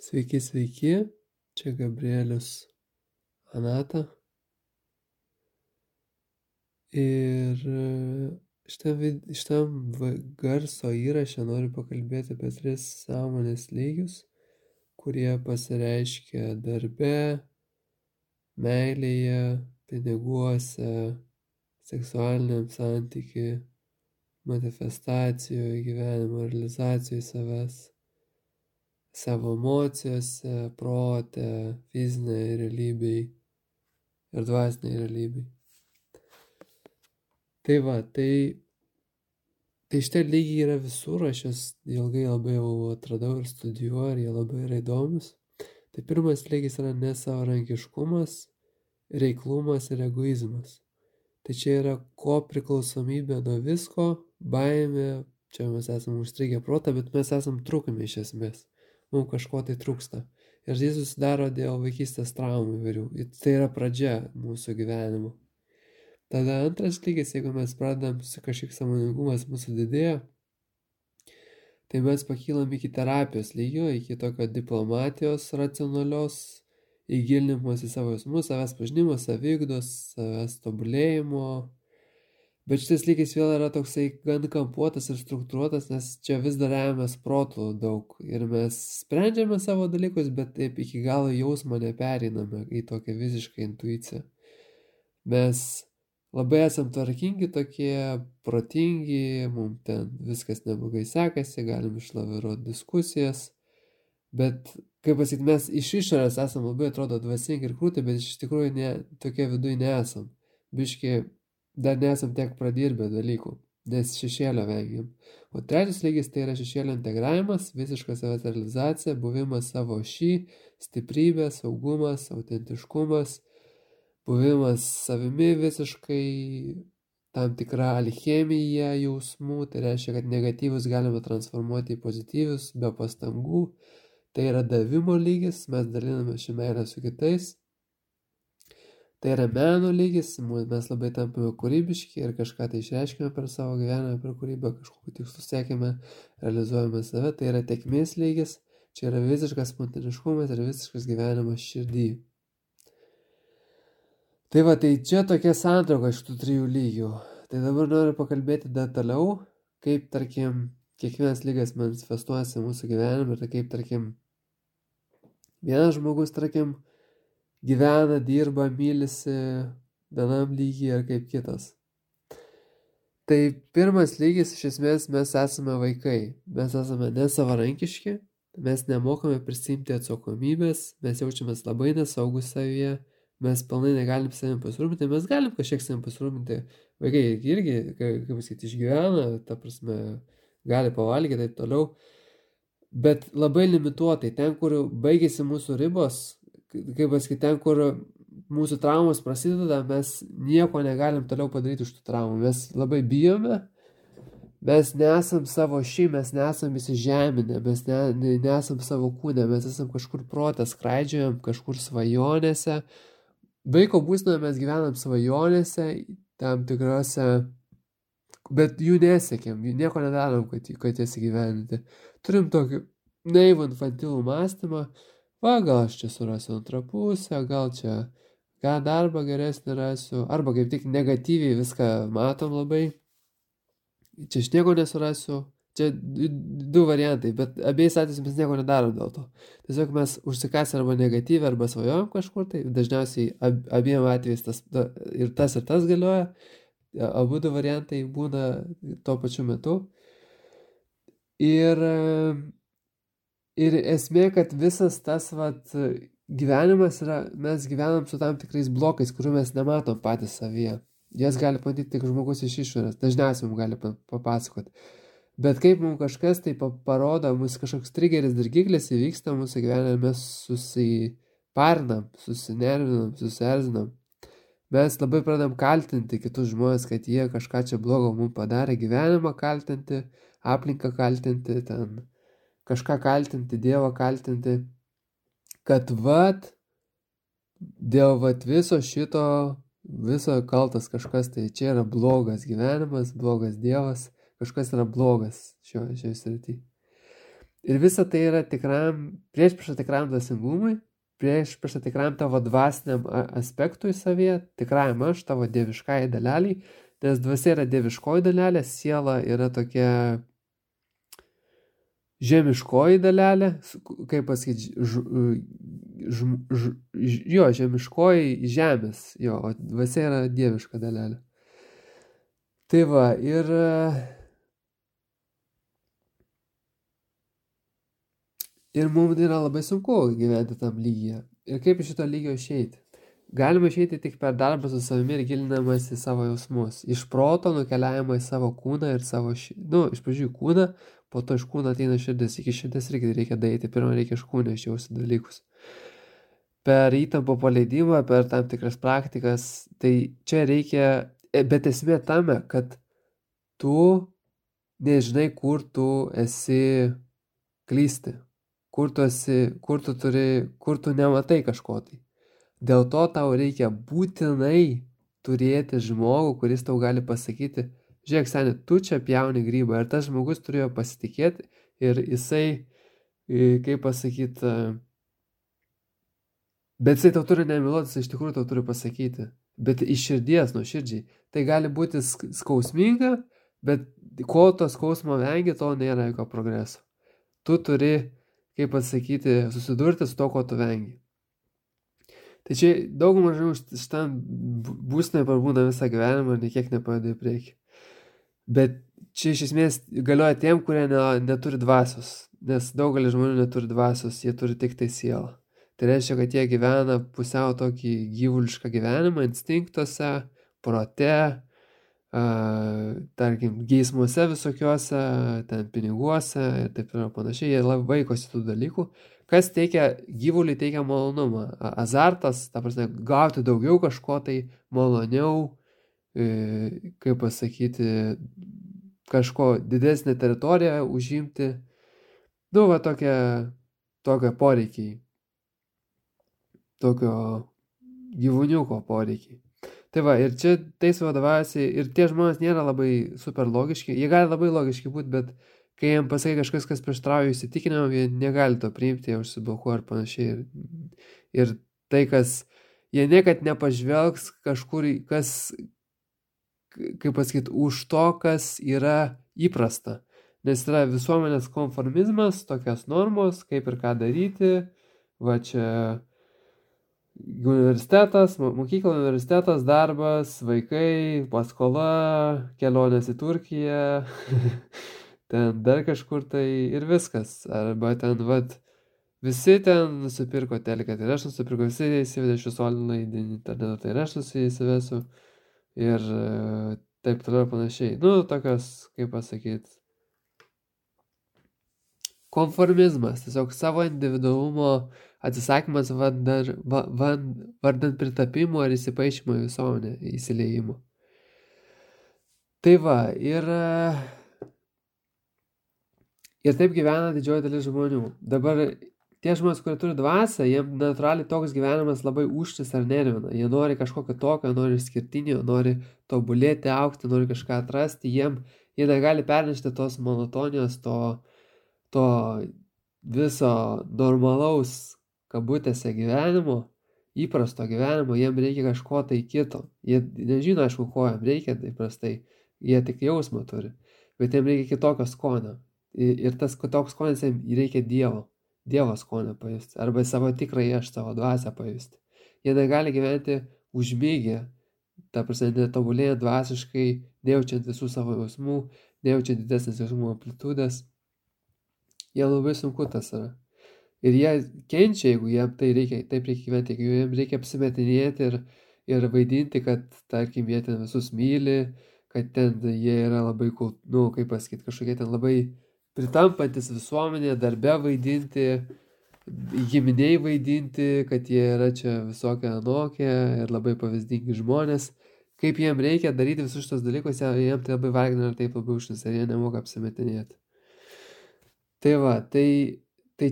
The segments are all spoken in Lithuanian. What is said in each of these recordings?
Sveiki, sveiki, čia Gabrielius Anata. Ir šitam garso įraše noriu pakalbėti apie 3 sąmonės lygius, kurie pasireiškia darbe, meilėje, piniguose, seksualiniam santykiui, manifestacijoje, gyvenimo realizacijoje savęs, savo emocijose, prote, fizinėje realybėje ir dvasinėje realybėje. Tai šitie lygiai yra visur, aš juos ilgai labai jau atradau ir studijuoju, ir jie labai yra įdomus. Tai pirmas lygis yra nesavarankiškumas, reiklumas ir egoizmas. Tai čia yra kopriklausomybė nuo visko, baimė, čia mes esame užstrigę protą, bet mes esame trūkami iš esmės. Mums kažko tai trūksta. Ir tai susidaro dėl vaikystės traumų įvairių. Tai yra pradžia mūsų gyvenimo. Tada antras lygis, jeigu mes pradedam su kažkiek sąmoningumas mūsų didėja, tai mes pakylam iki terapijos lygio, iki tokio diplomatijos racionalios, įgilinimas į savo jausmus, savęs pažinimo, saviugdos, savęs tobulėjimo. Bet šitas lygis vėl yra toksai gan kampuotas ir struktūruotas, nes čia vis dar remiamės protų daug. Ir mes sprendžiame savo dalykus, bet taip iki galo jausmo nepereiname į tokią visišką intuiciją. Mes labai esam tvarkingi tokie, protingi, mums ten viskas neblogai sekasi, galim išlaviruoti diskusijas, bet, kaip pasakyti, mes iš išorės esam labai atrodo dvasingi ir krūti, bet iš tikrųjų tokie viduje nesam. Biški dar nesam tiek pradirbę dalykų, nes šešėlio vengiam. O trečias lygis tai yra šešėlio integravimas, visiška savęs realizacija, buvimas savo stiprybė, saugumas, autentiškumas, buvimas savimi visiškai, tam tikra alchemija jausmų, tai reiškia, kad negatyvus galime transformuoti į pozityvius be pastangų. Tai yra davimo lygis, mes daliname šią meilę su kitais. Tai yra meno lygis, mes labai tampame kūrybiški ir kažką tai išreiškime per savo gyvenimą, per kūrybą, kažkokiu tikslu siekime, realizuojame save. Tai yra tėkmės lygis, čia yra visiškas spontaniškumas ir visiškas gyvenimas širdį. Tai čia tokia santrauka iš tų 3 lygių. Tai dabar noriu pakalbėti detaliau, kaip, tarkim, kiekvienas lygas manifestuojasi mūsų gyvenime ir kaip, tarkim, vienas žmogus, tarkim, gyvena, dirba, mylisi vienam lygiai ir kaip kitas. Tai pirmas lygis, iš esmės, mes esame vaikai. Mes esame nesavarankiški, mes nemokame prisiimti atsakomybės, mes jaučiamės labai nesaugus savyje. Mes pilnai negalim savim pasirūpinti, mes galim kažkiek savim pasirūpinti. Vaikai irgi, kaip pasakyti, išgyvena, ta prasme, gali pavalgyti, taip toliau. Bet labai limituotai, ten, kur baigėsi mūsų ribos, kaip pasakyti, ten, kur mūsų traumos prasideda, mes nieko negalim toliau padaryti už tų traumų. Mes labai bijome, mes nesam savo mes nesam įsižeminę, mes nesam savo kūne, mes esam kažkur protą skraidžiojam, kažkur svajonėse. Vaiko būsenoje mes gyvenam svajonėse, tam tikrose, bet jų nesiekėm, jų nieko nedarom, kad jas įgyveninti. Turim tokį naivų infantilų mąstymą, gal aš čia surasiu antrą pusę, gal čia darbą geresnį rasiu, arba kaip tik negatyviai viską matom labai. Čia aš nieko nesurasiu. Čia 2 variantai, bet abiejais atvejais mes nieko nedarom dėl to. Tiesiog mes užsikasę arba negatyvę, arba svajojam kažkur, tai dažniausiai abiem atvejais ir tas galioja. Abu 2 variantai būna tuo pačiu metu. Ir esmė, kad visas tas gyvenimas yra, mes gyvenam su tam tikrais blokais, kurių mes nematom patys savyje. Jas gali pamatyti tik žmogus iš išorės, dažniausiai mums gali papasakoti. Bet kaip mums kažkas tai parodo, mūsų kažkoks trigeris, dirgiklis įvyksta mūsų gyvenime, mes susiparnam, susinervinam, susierzinam. Mes labai pradam kaltinti kitus žmonės, kad jie kažką čia blogo mums padarė, gyvenimą kaltinti, aplinką kaltinti, ten kažką kaltinti, Dievą kaltinti, kad dėl viso šito, viso kaltas kažkas, tai čia yra blogas gyvenimas, blogas Dievas. Kažkas yra blogas šioje srityje. Ir visa tai yra priešprieša tikram dvasingumui, priešprieša tikram tavo dvasiniam aspektui savyje, tikram aš, tavo dieviškai daleliai, nes dvasia yra dieviškoji dalelė, siela yra tokia žemiškoji dalelė, kaip pasakyti, žemiškoji žemės, o dvasia yra dieviška dalelė. Tai va, ir mums yra labai sunku gyventi tam lygyje. Ir kaip iš šito lygio išeiti? Galima išeiti tik per darbą su savimi ir gilinamas į savo jausmus. Iš proto nukeliavimą į savo kūną ir savo iš pradžių kūną, po to iš kūno ateina širdis. Iki širdis irgi reikia daryti, pirmą reikia iš kūno išjausti dalykus. Per įtampą paleidimą, per tam tikras praktikas, tai čia reikia, bet esmė tame, kad tu nežinai, kur tu esi klysti, kur tu nematai kažko tai. Dėl to tau reikia būtinai turėti žmogų, kuris tau gali pasakyti, žiūrėk, seni, tu čia pjauni grybą. Ir tas žmogus turėjo pasitikėti ir jisai, kaip pasakyti, bet jisai tau turi nemiluoti, jisai iš tikrųjų tau turi pasakyti. Bet iš širdies, nuo širdžiai. Tai gali būti skausminga, bet ko to skausmo vengi, to nėra jokio progreso. Tu turi, kaip pasakyti, susidurti su to, ko tu vengi. Tai čia daug mažiau šitam būsnai parbūna visą gyvenimą ir niekiek nepadeda į priekį. Bet čia iš esmės galioja tiem, kurie neturi dvasios, nes daugelis žmonių neturi dvasios, jie turi tik tai sielą. Tai reiškia, kad jie gyvena pusiau tokį gyvulišką gyvenimą, instinktuose, prote, tarkim, geismuose visokiuose, ten piniguose ir taip ir panašiai, jie labai vaikosi tų dalykų. Kas gyvuliui teikia malonumą? Azartas, ta prasme, gauti daugiau kažko tai maloniau, kaip pasakyti, kažko didesnę teritoriją užimti. Va tokie poreikiai. Tokio gyvūniuko poreikiai. Tai va, ir čia tais vadovaujasi, ir tie žmonės nėra labai super logiški, jie gali labai logiški būti, bet kai jiems pasakai kažkas, kas prieštrauja įsitikinimam, jie negali to priimti, jie užsiblokuoja ir panašiai. Ir tai, jie niekad nepažvelgs kažkur, kaip pasakyti, už to, kas yra įprasta. Nes yra visuomenės konformizmas, tokios normos, kaip ir ką daryti. Va čia universitetas, mokykla, universitetas, darbas, vaikai, paskola, kelionės į Turkiją. Ten dar kažkur tai ir viskas. Arba ten, visi ten nusipirko teleką, tai aš nusipirko, visi įsivedė šviesolinį internetą, tai aš įsivesiu. Ir taip toliau panašiai. Tokios, kaip pasakyti, konformizmas, tiesiog savo individualumo atsisakymas vardant pritapimo ar įsipaišymo į visuomenę, įsileimo. Tai va, ir taip gyvena didžioji dalis žmonių. Dabar tie žmonės, kurie turi dvasią, jiems natūraliai toks gyvenimas labai užtis ar nervina. Jie nori kažkokio tokio, nori išskirtinio, nori tobulėti, augti, nori kažką atrasti. Jie negali pernešti tos monotonijos, to viso normalaus kabutėse gyvenimo, įprasto gyvenimo. Jiems reikia kažko tai kito. Jie nežino, aišku, ko jiems reikia įprastai. Jie tik jausmą turi. Bet jiems reikia kitokio skonio. Ir tas toks skonis jiems reikia Dievo skonio pajusti. Arba savo tikrąjį aš, savo dvasią pajusti. Jie negali gyventi užmygę. Ta prasme, netobulėjant dvasiškai, nejaučiant visų savo jausmų, nejaučiant didesnės jausmų amplitudės. Jie labai sunku tas yra. Ir jie kenčia, jeigu jiems taip reikia gyventi, jeigu jiems reikia apsimetinėti ir vaidinti, kad, tarkim, jie ten visus myli, kad ten jie yra labai, kaip pasakyti, kažkokie ten labai pritampantis visuomenė, darbe vaidinti, giminiai vaidinti, kad jie yra čia visokie anokie ir labai pavyzdingi žmonės. Kaip jiems reikia daryti visus šitos dalykus, jiems tai labai vargina ir taip labai užtis, ir jie nemoka apsimetinėti. Tai va, tai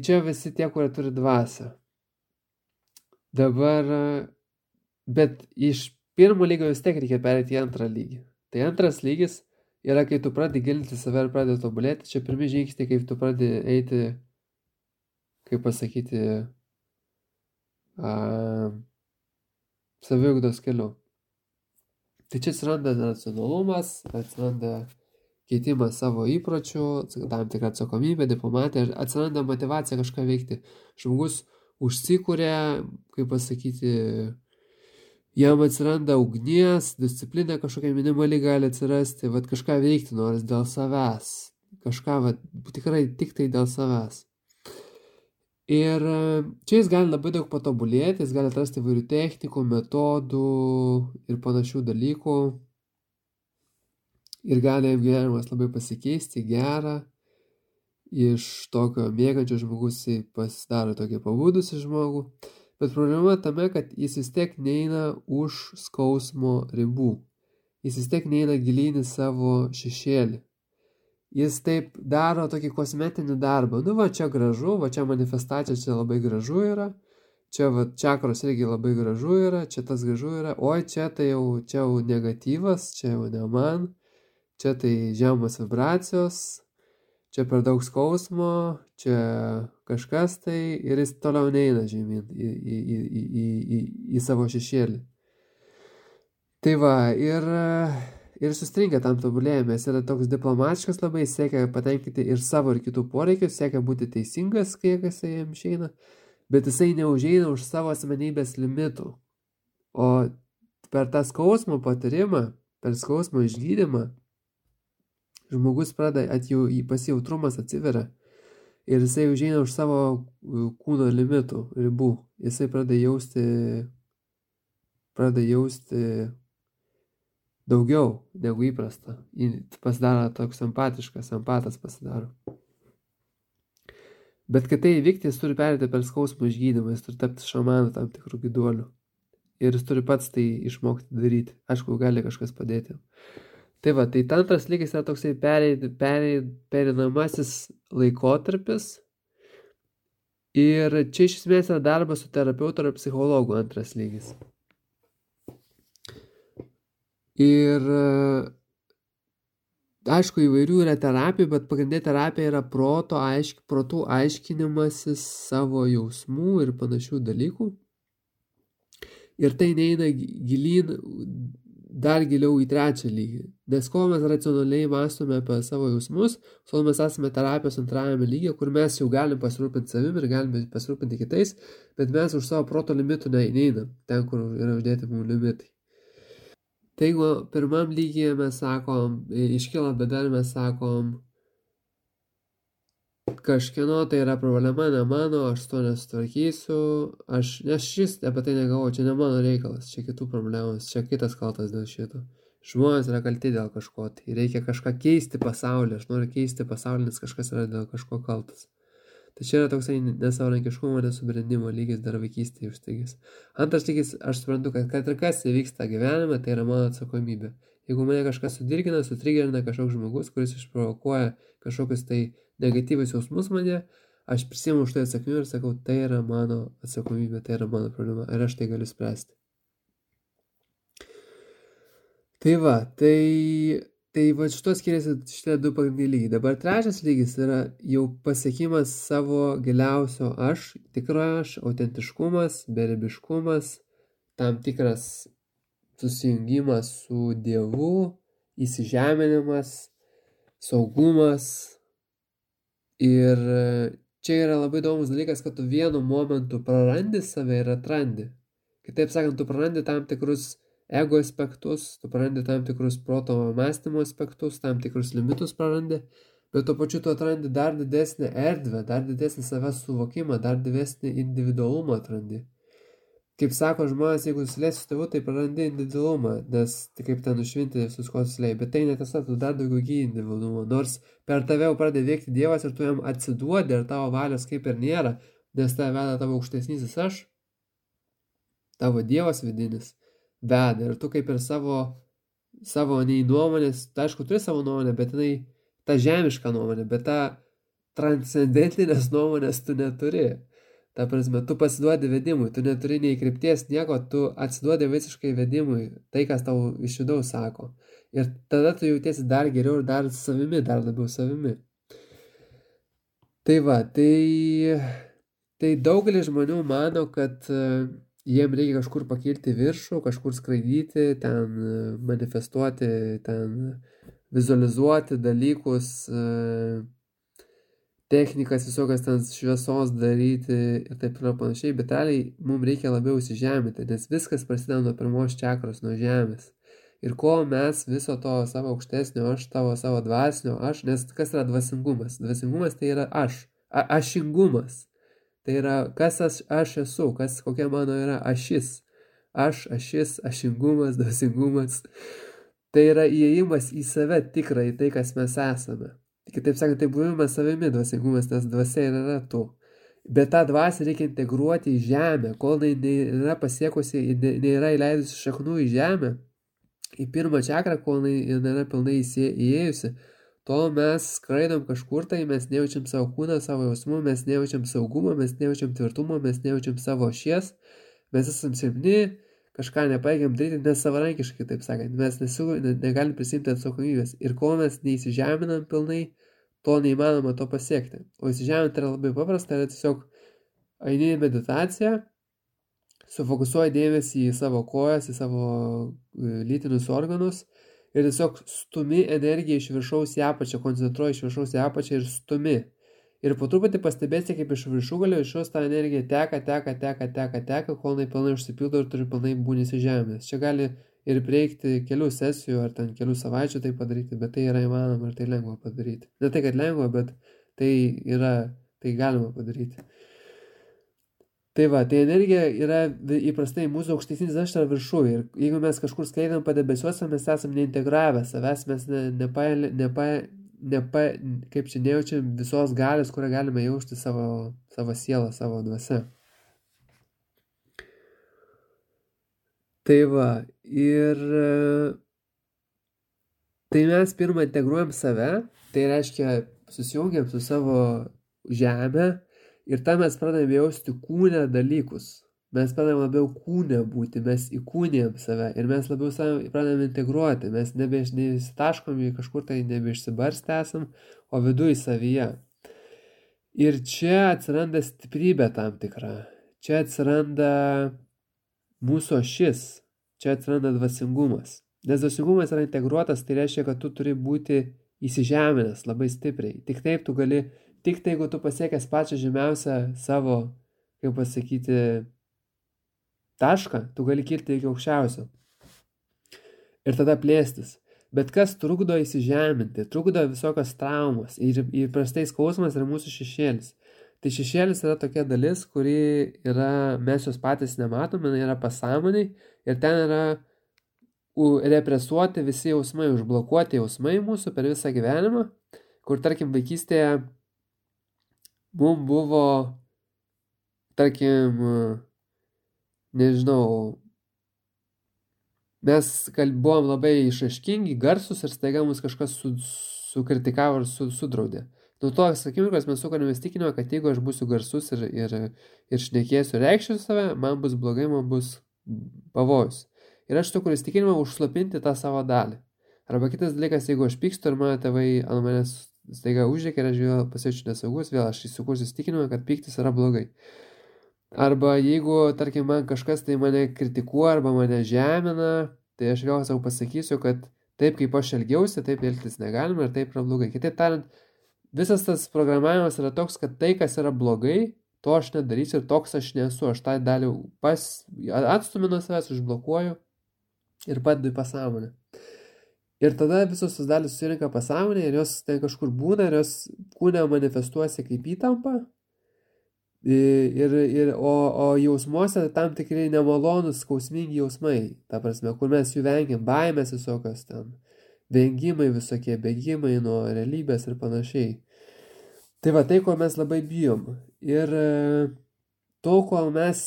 čia visi tie, kurie turi dvasią. Dabar, bet iš pirmo lygio vis tiek reikia perėti į antrą lygį. Tai antras lygis yra, kai tu pradedi gilinti save ir pradedi tobulėti, čia pirmi žingsniai, kaip tu pradedi eiti, kaip pasakyti, saviugdos keliu. Tai čia atsiranda racionalumas, atsiranda keitimas savo įpročių, tam tikra atsakomybė, diplomatija, atsiranda motivacija kažką veikti. Žmogus užsikūrė, kaip pasakyti, jam atsiranda ugnies, disciplina kažkokia minimali gali atsirasti, vat kažką veikti noris dėl savęs, kažką vat, tikrai tik tai dėl savęs. Ir čia jis gali labai daug patobulėti, jis gali atrasti įvairių technikų, metodų ir panašių dalykų. Ir gali gyvenimas labai pasikeisti, gerą, iš tokio mėgančio žmogus pasidaro tokį pabudusį žmogų. Bet problema tame, kad jis vis tiek neina už skausmo ribų. Jis vis tiek neina gilyn į savo šešėlį. Jis taip daro tokį kosmetinį darbą. Nu va, čia gražu, va čia manifestacija, čia labai gražu yra. Čia va, čakros irgi labai gražu yra, čia tas gražu yra. Oi, čia tai jau negatyvas, čia jau ne man. Čia tai žemos vibracijos, čia per daug skausmo, čia kažkas tai ir jis toliau neina žemyn į savo šešėlį. Tai va, ir sustringa tam tobulėjime, jis yra toks diplomatiškas labai, siekia patenkinti ir savo ir kitų poreikius, siekia būti teisingas, kiek jisai jam išeina, bet jisai neužeina už savo asmenybės limitų. O per tą skausmo patyrimą, per skausmo išgydymą, žmogus pradeda, pasijautrumas atsiveria ir jisai užeina už savo kūno limitų, ribų. Jisai pradeda jausti daugiau negu įprasta. Pasidaro toks empatiškas, empatas pasidaro. Bet kad tai įvykti, jis turi perėti per skausmo išgydymą, jis turi tapti šamanu tam tikrų gyduolių. Ir jis turi pats tai išmokti daryti. Aišku, gali kažkas padėti. Tai va, tai antras lygis yra toksai pereinamasis laikotarpis. Ir čia iš esmės yra darbas su terapeutu ar psichologu antras lygis. Ir aišku, įvairių yra terapijų, bet pagrindinė terapija yra protų aiškinimasis savo jausmų ir panašių dalykų. Ir tai neina gilyn dar giliau į trečią lygį. Nes kol mes racionaliai mąstome apie savo jausmus, kol mes esame terapijos antrajame lygyje, kur mes jau galim pasirūpinti savim ir galime pasirūpinti kitais, bet mes už savo proto limitų neinam, ten, kur yra uždėti mūsų limitai. Tai jeigu pirmam lygyje mes sakom, iškyla bėda, mes sakom, kažkieno tai yra problema, ne mano, aš to nesutvarkysiu, nes šis apie tai negalvoju, čia ne mano reikalas, čia kitų problemos, čia kitas kaltas dėl šito. Žmonės yra kalti dėl kažko, tai reikia kažką keisti pasaulyje, aš noriu keisti pasaulį, nes kažkas yra dėl kažko kaltas. Tai čia yra toksai nesavarankiškumo, nesubrendimo lygis dar vaikystėje užstigęs. Antras lygis, aš suprantu, kad ir kas įvyksta gyvenime, tai yra mano atsakomybė. Jeigu mane kažkas sudirgina, sutrigerina kažkoks žmogus, kuris išprovokuoja kažkokius tai negatyvius jausmus mane, aš prisiimu už tai atsakomybę ir sakau, tai yra mano atsakomybė, tai yra mano problema ir aš tai galiu spręsti. Tai va, tai va šitos skiriasi šitie du pagrindiniai lygiai. Dabar trečias lygis yra jau pasiekimas savo giliausio aš, tikro aš, autentiškumas, beribiškumas, tam tikras susijungimas su Dievu, įsižeminimas, saugumas. Ir čia yra labai įdomus dalykas, kad tu vienu momentu prarandi save ir atrandi. Kitaip sakant, tu prarandi tam tikrus ego aspektus, tu prarandi tam tikrus proto mąstymo aspektus, tam tikrus limitus prarandi, bet tuo pačiu tu atrandi dar didesnę erdvę, dar didesnį savęs suvokimą, dar didesnį individualumą atrandi. Kaip sako žmonės, jeigu susilėsi su tėvu, tai prarandi individualumą, nes tai kaip ten nušvinti visus ko susilėjai, bet tai netiesa, tu dar daugiau gyji individualumą, nors per tave jau pradeda veikti Dievas ir tu jam atsiduodi ir tavo valios kaip ir nėra, nes tave veda tavo aukštesnysis aš, tavo Dievas vidinis veda ir tu kaip ir savo nei nuomonės, tai aišku, turi savo nuomonę, bet jinai ta žemiška nuomonė, bet ta transcendentinės nuomonės tu neturi. Ta prasme, tu pasiduodi vedimui, tu neturi nei krypties nieko, tu atsiduodi visiškai vedimui, tai, kas tau iš vidaus sako. Ir tada tu jautiesi dar geriau ir dar savimi, dar labiau savimi. Tai va, tai daugelis žmonių mano, kad jiem reikia kažkur pakilti viršų, kažkur skraidyti, ten manifestuoti, ten vizualizuoti dalykus, technikas visokias ten šviesos daryti ir taip toliau panašiai, bet realiai mums reikia labiau įsižeminti, nes viskas prasideda nuo pirmos čakros, nuo žemės. Ir kol mes viso to savo aukštesnio aš, savo dvasinio aš, nes kas yra dvasingumas? Dvasingumas tai yra ašingumas. Tai yra, kas aš esu, kokia mano yra ašis. Ašis, ašingumas, dvasingumas. Tai yra įėjimas į save tikrą, į tai, kas mes esame. Kitaip sakant, tai buvimas savimi dvasingumas, nes dvasia yra tu. Bet tą dvasią reikia integruoti į žemę, kol jinai yra pasiekusi, nėra įleidusi šaknų į žemę, į pirmą čakrą, kol jinai nėra pilnai įėjusi, tol mes skraidom kažkur tai, mes nejaučiam savo kūną, savo jausmų, mes nejaučiam saugumo, mes nejaučiam tvirtumo, mes nejaučiam savo ašies, mes esam silpni, kažką nepajėgiam daryti nesavarankiškai, taip sakant, mes negalim prisimti atsakomybės. Ir kol mes neįsižeminam pilnai, to neįmanoma to pasiekti. O įsižeminti yra labai paprasta, yra tiesiog eini į meditaciją, sufokusuoji dėmesį į savo kojas, į savo lytinius organus ir tiesiog stumi energiją iš viršaus į apačią, koncentruoji iš viršaus į apačią ir stumi. Ir po truputį pastebėsi, kaip iš viršugalio išaus ta energija teka, kol jinai pilnai užsipildo ir turi pilnai būni įsižeminęs. Čia gali ir prieikti kelių sesijų ar ten kelių savaičių tai padaryti, bet tai yra įmanoma ir tai lengva padaryti. Ne tai, kad lengva, bet tai galima padaryti. Tai va, tai energija yra įprastai mūsų aukštesnis aš yra viršų ir jeigu mes kažkur skleidam padebesiuose, mes esam neintegravę savęs, mes kaip čia nejaučiam visos galios, kurią galime jausti savo sielą, savo dvasią. Tai va, ir tai mes pirmą integruojam save, tai reiškia susijungiam su savo žemę ir tą mes pradėjome jausti kūne dalykus. Mes pradėjome labiau kūne būti, mes įkūnėjam save ir mes labiau save pradėjome integruoti, mes nebeišsitaškom į kažkur tai nebeišsibarstę esam, o viduje savyje. Ir čia atsiranda stiprybė tam tikra, čia atsiranda mūsų ašis, čia atsiranda dvasingumas. Nes dvasingumas yra integruotas, tai reiškia, kad tu turi būti įsižeminęs labai stipriai. Tik taip tu gali, tik tai, jeigu tu pasiekęs pačią žemiausią savo, kaip pasakyti, tašką, tu gali kilti iki aukščiausio. Ir tada plėstis. Bet kas trukdo įsižeminti, trukdo visokios traumos. Ir įprastai skausmas yra mūsų šešėlis. Tai šešėlis yra tokia dalis, kuri yra, mes jos patys nematome, yra pasąmoniai ir ten yra represuoti visi jausmai, užblokuoti jausmai mūsų per visą gyvenimą, kur, tarkim, vaikystėje mums buvo, tarkim, nežinau, mes buvom labai išraiškingi, garsus ir staiga mus kažkas sukritikavo ir sudraudė. Nuo to akimirkos mes sukarėmės tikinimą, kad jeigu aš būsiu garsus ir šnekėsiu, reikščiau save, man bus blogai, man bus pavojus. Ir aš turiu įsitikinimą užslopinti tą savo dalį. Arba kitas dalykas, jeigu aš pykstu ir mano tėvai ant manęs staiga užrėkia ir aš vėl pasijaučiu nesaugus, vėl aš įsikursiu įsitikinimą, kad pyktis yra blogai. Arba jeigu, tarkim, man kažkas tai mane kritikuoja arba mane žemina, tai aš vėl savo pasakysiu, kad taip kaip aš elgiausi, taip elgtis negalima ir taip yra blogai. Kitaip tariant, visas tas programavimas yra toks, kad tai, kas yra blogai, to aš nedarysiu ir toks aš nesu. Aš tą dalį atstumiu nuo savęs, užblokuoju ir padedu į pasąmonę. Ir tada visos tos dalys susirinka pasąmonė ir jos ten kažkur būna ir jos kūne manifestuosi kaip įtampa. O jausmuose tam tikrai nemalonus, skausmingi jausmai, ta prasme, kur mes jų vengiam, baimės visokios ten, vengimai visokie, bėgimai nuo realybės ir panašiai. Tai va, tai, ko mes labai bijom. Ir tol, kol mes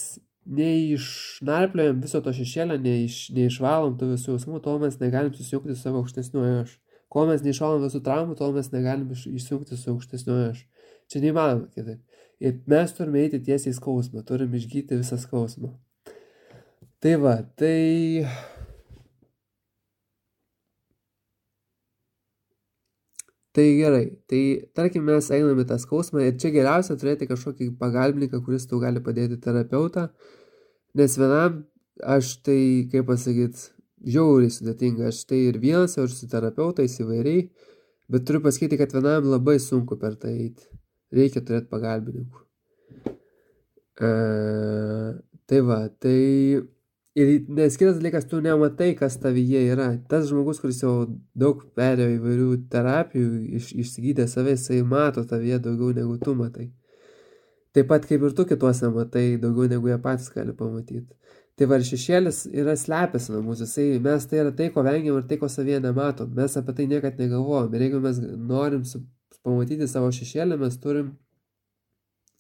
neišnarpliojam viso to šešėlio, neišvalom tų visų jausmų, tol mes negalim susijungti su savo aukštesniuoju aš. Kol mes neišvalom visų traumų, tol mes negalim išsijungti su aukštesniuoju aš. Čia neįmanoma kitaip. Ir mes turime eiti tiesiai į skausmą, turime išgyti visą skausmą. Tai va, tai gerai, tai tarkim mes einame tą skausmą ir čia geriausia turėti kažkokį pagalbininką, kuris tau gali padėti terapeutą, nes vienam aš tai, kaip pasakyti, žiauriai sudėtinga, aš tai ir vienas, ir su terapeutais įvairiai, bet turiu pasakyti, kad vienam labai sunku per tai eiti, reikia turėti pagalbininkų. Tai va, tai ir nes kitas dalykas, tu nematai, kas tavyje yra. Tas žmogus, kuris jau daug perėjo įvairių terapijų, išsigydė save, jisai mato tavyje daugiau negu tu matai. Taip pat kaip ir tu kituose matai daugiau negu jie patys gali pamatyti. Tai va, šešėlis yra slepiasi nuo mūsų. Mes tai yra tai, ko vengiam ir tai, ko savyje nematom. Mes apie tai niekad negalvojam. Ir jeigu mes norim pamatyti savo šešėlį, mes turim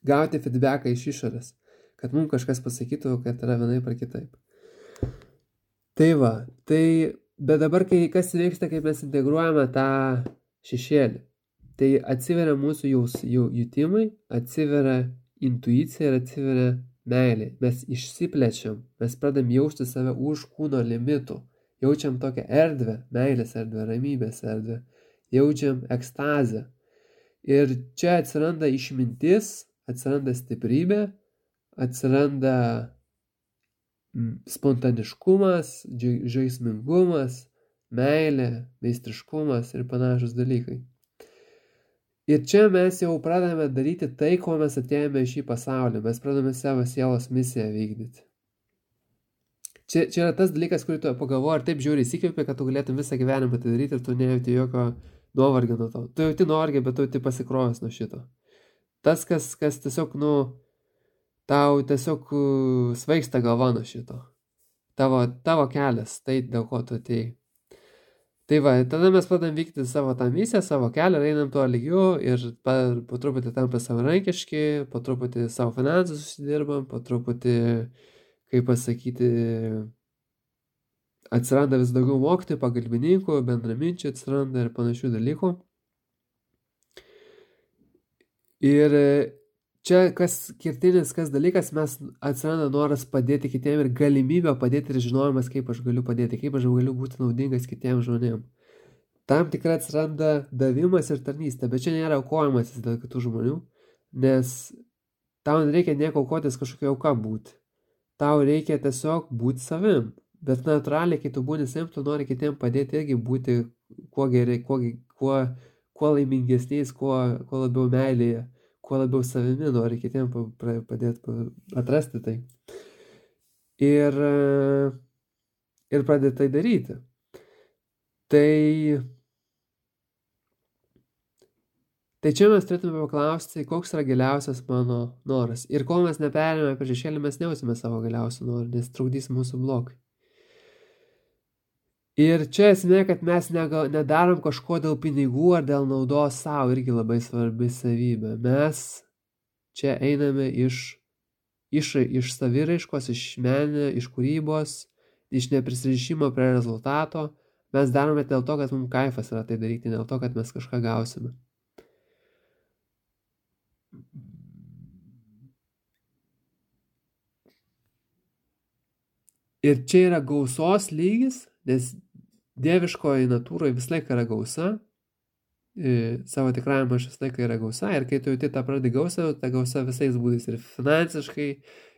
gauti feedbacką iš išorės, kad mums kažkas pasakytų, kad yra vienaip ar kitaip. Tai va, bet dabar kas vyksta, kai mes integruojame tą šešėlį, tai atsiveria mūsų jutimai, atsiveria intuicija ir atsiveria meilė. Mes išsiplečiam, mes pradam jausti save už kūno limitų, jaučiam tokią erdvę, meilės erdvę, ramybės erdvę, jaučiam ekstazę. Ir čia atsiranda išmintis, atsiranda stiprybė, atsiranda spontaniškumas, žaismingumas, meilė, meistriškumas ir panašus dalykai. Ir čia mes jau pradame daryti tai, ko mes atėjome į šį pasaulį. Mes pradame savo sielos misiją vykdyti. Čia yra tas dalykas, kurį tu pagalvoji ir taip žiūri įsikvėpė, kad tu galėtum visą gyvenimą tai daryti ir tu nejauti jokio nuovargio nuo to. Tu jauti nuovargį, bet tu jauti pasikrovęs nuo šito. Tas, kas tiesiog, tau tiesiog svaigsta galva nuo šito. Tavo kelias, tai dėl ko tu atėjai. Tai va, tada mes pradam vykti savo tą misiją, savo kelią, einam tuo lygiu ir po truputį tampa savarankiški, po truputį savo finansus susidirbam, po truputį, kaip pasakyti, atsiranda vis daugiau mokytojų, pagalbininkų, bendraminčių atsiranda ir panašių dalykų. Ir čia kas dalykas, mes atsiranda noras padėti kitiem ir galimybė padėti ir žinojimas, kaip aš galiu padėti, kaip aš galiu būti naudingas kitiems žmonėms. Tam tikrai atsiranda davimas ir tarnystė, bet čia nėra aukojimasis dėl kitų žmonių, nes tau nereikia nieko aukotis kažkokia auka būti. Tau reikia tiesiog būti savim, bet natūraliai, kai tu būni savim, tu nori kitiem padėti irgi būti kuo laimingesniais, kuo labiau meilėje. Kuo labiau savimi nori kitiem padėti atrasti tai. Ir pradėti tai daryti. Tai čia mes turėtume paklausti, koks yra giliausias mano noras. Ir kol mes neperėmėme per šešėlį, mes nejausime savo giliausių norų, nes trukdys mūsų blokai. Ir čia esmė, kad mes nedarom kažko dėl pinigų ar dėl naudos savo, irgi labai svarbi savybė. Mes čia einame iš saviraiškos, iš meninio, iš kūrybos, iš neprisirišimo prie rezultato. Mes darome dėl to, kad mums kaifas yra tai daryti, dėl to, kad mes kažką gausime. Ir čia yra gausos lygis, nes dieviškoji natūroje vis laik yra gausa, savo tikrajame aš vis laik yra gausa, ir kai tu jauti tą pradį gausą, ta gausa visais būdais ir finansiškai,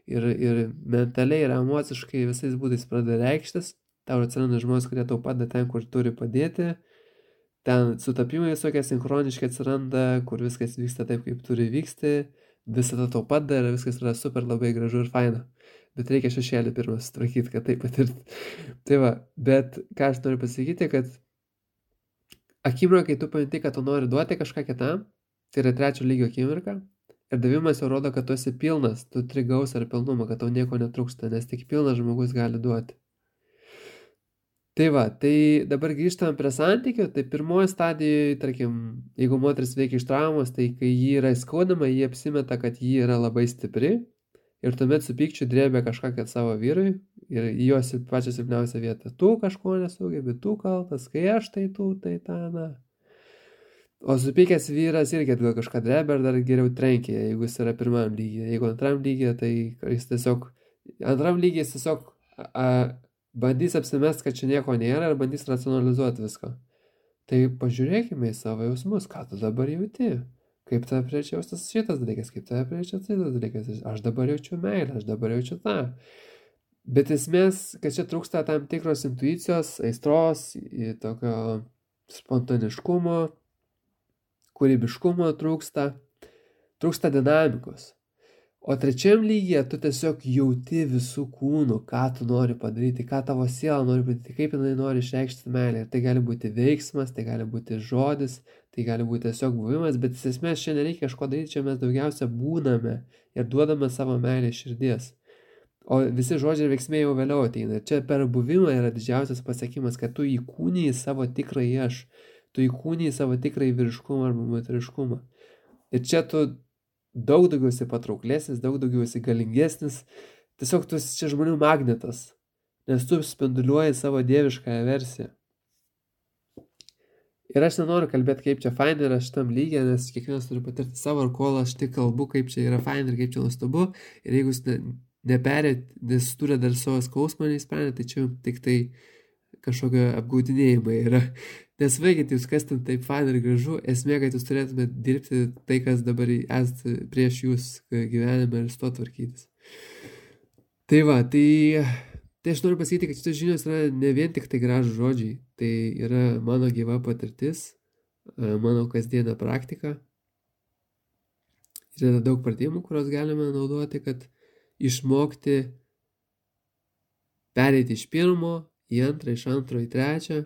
ir mentaliai, ir emociškai visais būdais pradeda reikštis, tau atsiranda žmonės, kurie tau padeda ten, kur turi padėti, ten sutapimai visokie sinchroniškai atsiranda, kur viskas vyksta taip, kaip turi vykti, visada tau padeda ir viskas yra super labai gražu ir faina. Bet reikia šešėlį pirmą sutvarkyti, kad tai patirti. Tai va, bet ką aš noriu pasakyti, kad akimirka, kai tu paminti, kad tu nori duoti kažką kitam, tai yra 3 lygio akimirka, ir davimas jau rodo, kad tu esi pilnas, tu turi gausą ir pilnumą, kad tau nieko netrūksta, nes tik pilnas žmogus gali duoti. Tai va, tai dabar grįžtam prie santykių, tai pirmoji stadijoje, tarkim, jeigu moteris veikia iš traumos, tai kai jį yra įskaudama, jį apsimeta, kad jį yra labai stipri, ir tuomet su pykčiu drėbė kažką kad savo vyrui ir į jos pačią silpniausią vietą. Tu kažko nesugebi, tu kaltas, kai aš tai tu, tai ta, na. O supykęs vyras irgi gal kažką drebia ir dar geriau trenkia, jeigu jis yra pirmam lygyje. Jeigu antram lygyje, tai jis tiesiog, antram lygyje jis tiesiog bandys apsimest, kad čia nieko nėra ir bandys racionalizuoti viską. Tai pažiūrėkime į savo jausmus, ką tu dabar jauti. Kaip tave priečia jaustas šitas dalykas, kaip tave priečia šitas dalykas. Aš dabar jaučiu meilę, aš dabar jaučiu tą. Bet esmės, kad čia trūksta tam tikros intuicijos, aistros, tokio spontaniškumo, kūrybiškumo trūksta dinamikos. O trečiam lygyje tu tiesiog jauti visų kūnų, ką tu nori padaryti, ką tavo siela nori padaryti, kaip jinai nori išreikšti meilę. Ir tai gali būti veiksmas, tai gali būti žodis, tai gali būti tiesiog buvimas, bet iš esmės čia nereikia kažko daryti, čia mes daugiausia būname ir duodame savo meilę širdies. O visi žodžiai ir veiksmai jau vėliau ateina. Čia per buvimą yra didžiausias pasiekimas, kad tu įkūniji savo tikrąjį aš, tu įkūniji savo tikrąjį vyriškumą arba moteriškumą. Ir čia tu daug daugiau esi patrauklesnis, daug daugiau esi galingesnis, tiesiog tu esi čia žmonių magnetas, nes tu spinduliuoji savo dieviškąją versiją. Ir aš nenoriu kalbėti, kaip čia fain yra šitam lygiai, nes kiekvienas turi patirti savo, ir kol aš tik kalbu, kaip čia yra fain ir kaip čia nuostabu, ir jeigu jūs neperėt, nes turi dar savo skausmą neįsprendė, tai čia tik tai kažkokio apgaudinėjimai yra. Nesvaikit jūs, kas ten taip fain ir gražu, esmė, kad jūs turėtumėte dirbti tai, kas dabar esate prieš jūs gyvenime ir su to tvarkytis. Tai va, tai aš noriu pasakyti, kad šitos žinios yra ne vien tik tai gražų žodžiai, tai yra mano gyva patirtis, mano kasdienė praktika. Ir yra daug pratimų, kurios galime naudoti, kad išmokti pereiti iš pirmo į antrą, iš antro į trečią.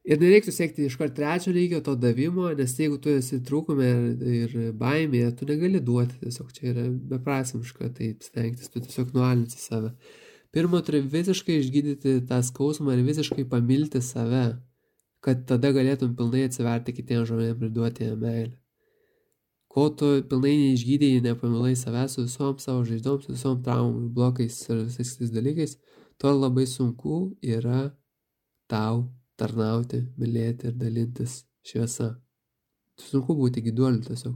Ir nereiktų siekti iškart trečio lygio to davimo, nes jeigu tu esi trūkume ir baimėje, tu negali duoti, tiesiog čia yra beprasmiška, tai stengtis, tu tiesiog nualinsi save. Pirma, turi visiškai išgydyti tą skausmą ir visiškai pamilti save, kad tada galėtum pilnai atsiverti kitiems žmonėms ir duoti jam meilę. Kol tu pilnai neišgydėjai, nepamilai savęs su visom savo žaizdoms, su visom traumom, blokais ir visais tais dalykais, to labai sunku yra tau tarnauti, mylėti ir dalintis šviesa. Sunku būti gyduoliu tiesiog.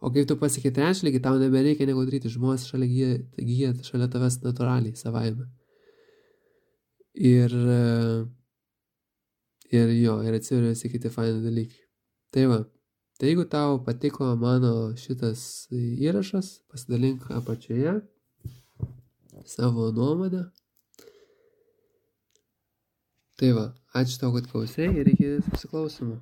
O kai tu pasieki trečią lygį, tau nebereikia nieko daryti, žmonės gyja šalia tavęs natūraliai, savaime. Ir atsiveria visi kiti faini dalykai. Tai va, tai jeigu tau patiko mano šitas įrašas, pasidalink apačioje savo nuomonę. Tai va, ačiū tau, kad klausei ir iki susiklausimo.